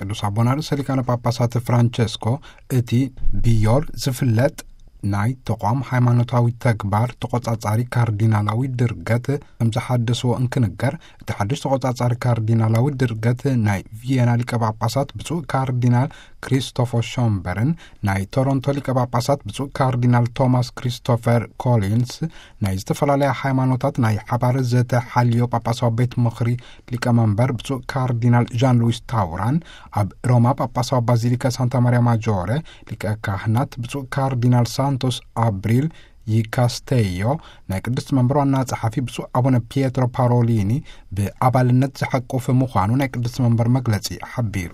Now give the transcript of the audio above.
ቅዱስ ኣቦና ርእሰ ሊቃነ ጳጳሳት ፍራንቸስኮ፣ እቲ ብዮል ዝፍለጥ ናይ ተቋም ሃይማኖታዊ ተግባር ተቖጻጻሪ ካርዲናላዊ ድርገት ከም ዝሓደስዎ እንክንገር፣ እቲ ሓድሽ ተቖጻጻሪ ካርዲናላዊ ድርገት ናይ ቪየና ሊቀ ጳጳሳት ብፁዕ ካርዲናል ክሪስቶፈር ሾምበርን ናይ ቶሮንቶ ሊቀ ጳጳሳት ብፁዕ ካርዲናል ቶማስ ክሪስቶፈር ኮሊንስ፣ ናይ ዝተፈላለያ ሃይማኖታት ናይ ሓባር ዘተ ሓልዮ ጳጳሳዊ ቤት ምኽሪ ሊቀመንበር ብፁዕ ካርዲናል ዣን ሉዊስ ታውራን፣ ኣብ ሮማ ጳጳሳዊ ባዚሊካ ሳንታ ማርያ ማጆረ ሊቀ ካህናት ብፁዕ ካርዲናል ሳንቶስ ኣብሪል ይካስቴዮ፣ ናይ ቅድስት መንበር ዋና ጸሓፊ ብፁዕ ኣቡነ ፒየትሮ ፓሮሊኒ ብኣባልነት ዝሓቁፍ ምዃኑ ናይ ቅድስት መንበር መግለጺ ሓቢሩ።